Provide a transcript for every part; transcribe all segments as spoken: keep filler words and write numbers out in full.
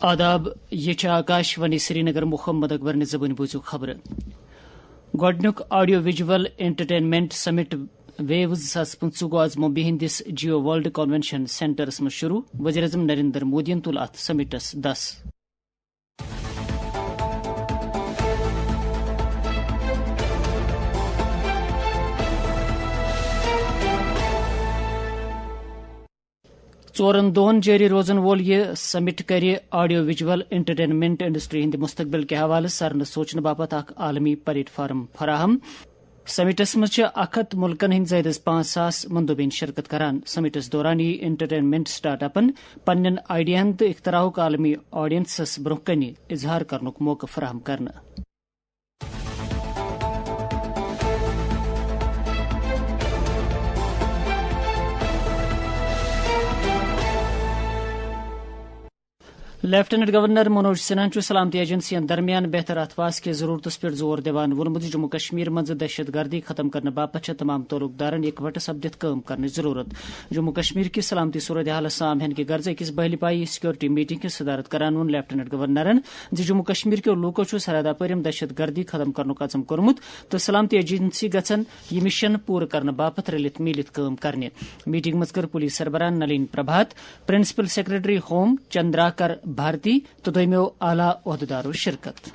آداب، یہ چھِ آکاش وانی سرینگر۔ محمد اکبر نہِ زبٲنۍ بوٗزِو خبرٕ۔ گۄڈٕنیُک آڈیو ویجول انٹرٹینمنٹ سمٹ ویوز زٕ ساس پٕنٛژٕہ گوٚو آز ممبئی ہٕنٛدِس جیو ورلڈ کنونشن سینٹرس منٛز شروع۔ وزیر اعظم نریندر مودیَن تُل اتھ سمٹس دس۔ ژورن دۄہن جٲری روزن وول یہِ سمٹ کرِ آڈیو ویجول انٹرٹینمنٹ انڈسٹری ہٕنٛدِ مستقبل کہِ حوالہٕ سرنہٕ سوچنہٕ باپتھ اکھ عالمی پلیٹ فارم فراہم۔ سمٹس منٛز چھِ اکھ ہتھ ملکن ہٕنٛدۍ زائد از پانٛژھ ساس مندوبین شرکت کران۔ سمٹس دوران یی انٹرٹینمنٹ سٹارٹ اپن پننٮ۪ن آئیڈیاہن تہٕ اختراعُک عالمی آڈینسس برونٛہہ کنہِ اظہار کرنُک موقعہٕ فراہم کرنہٕ۔ لیفٹیننٹ گورنر منوج سنہاہن چھُ سلامتی ایجنسین درمیان بہتر اتھواس کِس ضرورتس پٮ۪ٹھ زور دِوان ووٚنمُت زِ جموں کشمیر منٛز دہشت گردی ختم کرنہٕ باپتھ چھےٚ تمام تعلق دارن اکوٹہٕ سپدِتھ کٲم کرنٕچ ضرورت۔ جموں کشمیر کِس سلامتی صورتحالس سام ہینہٕ کہِ غرضہٕ أکِس بحلی پایہِ سیکورٹی میٹنگ ہٕنٛز صدارت کران ووٚن لیفٹیننٹ گورنرن زِ جموں کشمیر کیو لوٗکو چھُ سرحد اپٲرۍ یِم دہشت گردی ختم کرنُک عزم کوٚرمُت تہٕ سلامتی ایجنسی گژھن یہِ مشن پوٗرٕ کرنہٕ باپتھ رلِتھ میٖلِتھ کٲم کرنہِ۔ میٹنگ منٛز کٔر پولیس سربراہ Nalin Prabhat, principal secretary home چندراکر بھارتی تہٕ دوٚیمٮ۪و اعلیٰ عہدٕدارو شرکت۔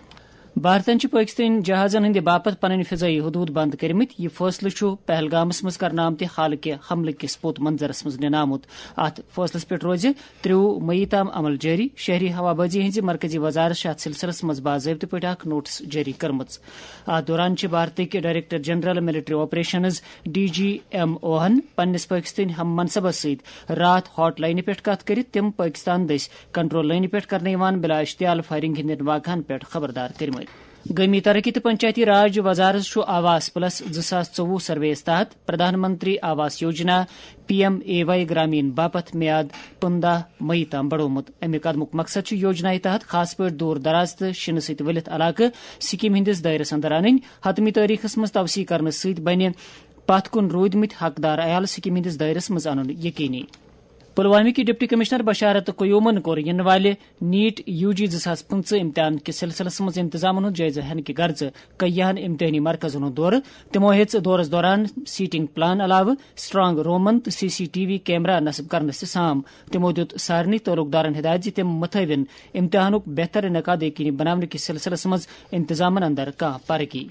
بھارتن چھِ پٲکستٲنۍ جہازن ہٕنٛدِ باپتھ پنٕنۍ فضٲیی حدود بند کٔرمٕتۍ۔ یہِ فٲصلہٕ چھُ پہلگامس منٛز کرنہٕ آمتہِ حالکہِ حملہٕ کِس پوٚت منظرس منٛز نِنہٕ آمُت۔ اتھ فٲصلس پٮ۪ٹھ روزِ ترٛوُہ مئی تام عمل جٲری۔ شہری ہوابازی ہٕنٛزِ مرکزی وزارت چھِ اتھ سلسلس منٛز باضٲبطہٕ پٲٹھۍ اکھ نوٹس جٲری کٔرمٕژ۔ اتھ دوران چھِ بھارتٕکۍ director general military operations, D G M اوہن، پننِس پٲکستٲنۍ ہم منصبس سۭتۍ راتھ ہاٹ لائنہِ پٮ۪ٹھ کتھ کٔرِتھ تِم پٲکستان دٔسۍ کنٹرول لٲنہِ پٮ۪ٹھ کرنہٕ یِوان بلا اشتعال فائرنگ ہٕنٛدٮ۪ن واقعہن پٮ۪ٹھ خبردار کٔرمٕتۍ۔ گٲمی ترقی تہٕ پنچایتی راج وزارت چھُ آواس پلس زٕ ساس ژوٚوُہ سروے یَس تحت Pradhan Mantri Awas Yojana, P M A Y Gramin باپتھ میعاد پنٛداہ مئی تام بڑومُت۔ اَمہِ قدمُک مقصد چھُ یوجنایہِ تحت خاص پٲٹھۍ دوٗر دراز تہٕ شِنہٕ سۭتۍ ؤلِتھ علاقہٕ سکیمہِ ہٕنٛدِس دٲیرَس اندر اَنٕنۍ۔ حتمی تٲریخس منٛز توسیع کرنہٕ سۭتۍ بنہِ پتھ کُن روٗدمٕتۍ حقدار عیال سکیمہِ ہٕنٛدِس دٲیرَس منٛز اَنُن یقینی۔ پلوامہ کہِ ڈپٹی کمشنر بشارت قیومن کوٚر یِنہٕ والہِ نیٹ یو جی زٕ ساس پٕنٛژٕہ امتحان کِس سلسلس منٛز انتظامن ہُنٛد جٲیزٕ ہینہٕ کہِ غرضہٕ کیاہن امتحٲنی مرکزن ہُنٛد دورٕ۔ تِمو ہیٚژ دورس دوران سیٹنگ پلان علاوٕ سٹرانگ رومن تہٕ C C T V camera نصب کرنس تہِ سام۔ تِمو دیُت سارنٕے تعلق دارن ہدایت زِ تِم متھٲوِن امتحانُک بہتر انعقاد یقینی بناونہٕ کِس سلسلس منٛز انتظامن اندر کانٛہہ پرگی۔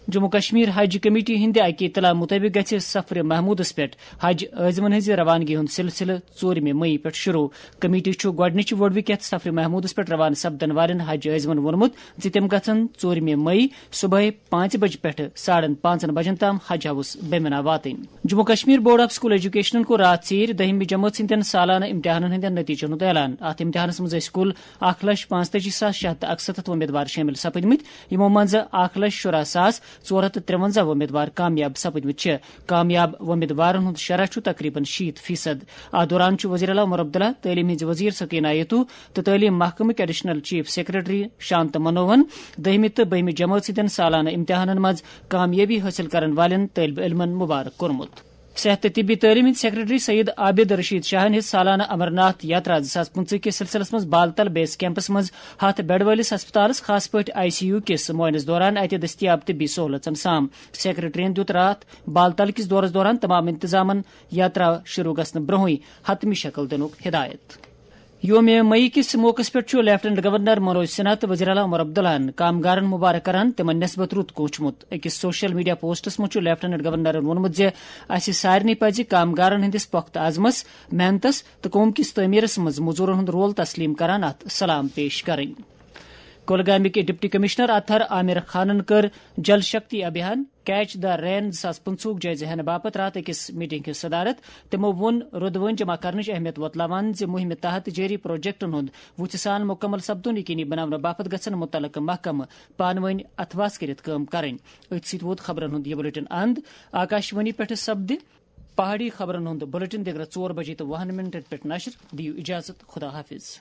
جموں کشمیر حج کمیٹی ہٕنٛدِ اکہِ اطلاع مُطٲبِق گژھِ سفر محمودس پٮ۪ٹھ حج عٲزمن ہٕنٛزِ روانگی ہُنٛد سلسلہٕ ژوٗرمہِ مئی پٮ۪ٹھ شروع۔ کمیٹی چھُ گۄڈٕنِچہِ وۄڑوٕکٮ۪تھ سفر محمودس پٮ۪ٹھ روانہٕ سپدن والٮ۪ن حج عٲزمن ووٚنمُت زِ تِم گژھن ژوٗرمہِ مئی صبحٲے پانٛژِ بجہِ پٮ۪ٹھٕ ساڑن پانٛژن بجن تام حج ہاوس بیمنا واتٕنۍ۔ Jammu Kashmir board of school ایجوکیشنن کوٚر راتھ ژیٖرۍ دٔہمہِ جمٲژ ہٕنٛدٮ۪ن سالانہٕ امتحانن ہٕنٛدٮ۪ن نتیجن ہُنٛد اعلان۔ اتھ امتحانس منٛز ٲسۍ کُل اکھ لچھ پانٛژتٲجی ساس شےٚ ہتھ تہٕ اکستتھ وۄمیدوار شٲمِل سپٕدمٕتۍ، یِمو منٛزٕ اکھ لچھ شُراہ ساس ژور ہتھ تہٕ ترٛونزہ وۄمیدوار کامیاب سپٕدمٕتۍ چھِ۔ کامیاب وۄمیدوارن ہُنٛد شرح چھُ تقریباً شیٖتھ فیصد۔ اتھ دوران چھُ وزیر اعلیٰ عمر عبداللہ، تعلیٖم ہٕنٛزِ وزیر سکینہ ایتو تہٕ تعلیٖم محکمٕکۍ ایڈیشنل چیف سیکرٹری شانت منوہن دٔہمہِ تہٕ بٔہمہِ جمٲژ ہٕنٛدٮ۪ن سالانہٕ امتحانن منٛز کامیٲبی حٲصِل کرن والٮ۪ن طٲلبہِ علمن مبارک کوٚرمُت۔ صحت تہٕ طبی تعلیٖم ہٕنٛدۍ سیکرٹری سید عابد رشید شاہن ہیٚژ سالانہٕ امر ناتھ یاترا زٕ ساس پٕنٛژٕہ کِس سلسلس منٛز بالتل بیس کیمپس منٛز ہتھ بیڈ وٲلِس ہسپتالس، خاص پٲٹھۍ آئی سی یو کِس معائنس دوران اتہِ دٔستیاب طبی سہولژن سام۔ سیکرٹریَن دیُت راتھ بالتل کِس دورس دوران تمام انتظامن یاترا شروع گژھنہٕ برونٛہٕے حتمی شکل دِنُک ہدایت۔ یوم مئی کِس موقعس پٮ۪ٹھ چھُ لیفٹیننٹ گورنر منوج سنہا تہٕ وزیر اعلیٰ عمر عبداللہن کامگارن مبارک کران تِمن نسبت رُت کوٗنٛچمُت۔ أکِس سوشل میڈیا پوسٹس منٛز چھُ لیفٹیننٹ گورنرن ووٚنمُت زِ اسہِ سارنٕے پزِ کامگارن ہٕنٛدِس پۄختہٕ عزمس، محنتس تہٕ قوم کِس تعمیرس منٛز مزورن ہُنٛد رول تسلیم کران اتھ سلام پیش کرٕنۍ۔ کولگامٕکۍ ڈپٹی کمشنر اطہر عامر خانن کٔر جل شکتی ابھیان کیچ دی رین زٕ ساس پٕنٛژٕہُک جٲیزٕ ہینہٕ باپتھ راتھ أکِس میٹنگ ہٕنٛز صدارت۔ تِمو ووٚن رودوٲنۍ جمع کرنٕچ اہمیت وۄتلاوان زِ مُہِمہِ تحت جٲری پروجیکٹن ہُنٛد وُژھِ سان مُکمل سپدُن یقینی بناونہٕ باپتھ گژھن مُتعلقہٕ محکمہٕ پانہٕ وٲنۍ اتھواس کٔرِتھ کٲم کرٕنۍ۔ أتھۍ سۭتۍ ووت خبرن ہُنٛد یہِ بُلیٹن اند۔ آکاشوانی پٮ۪ٹھٕ سپدِ پہاڑی خبرن ہُنٛد بُلیٹن دِگرہ ژور بجے تہٕ وُہن منٹن پٮ۪ٹھ نشر۔ دِیِو اجازت، خدا حافظ۔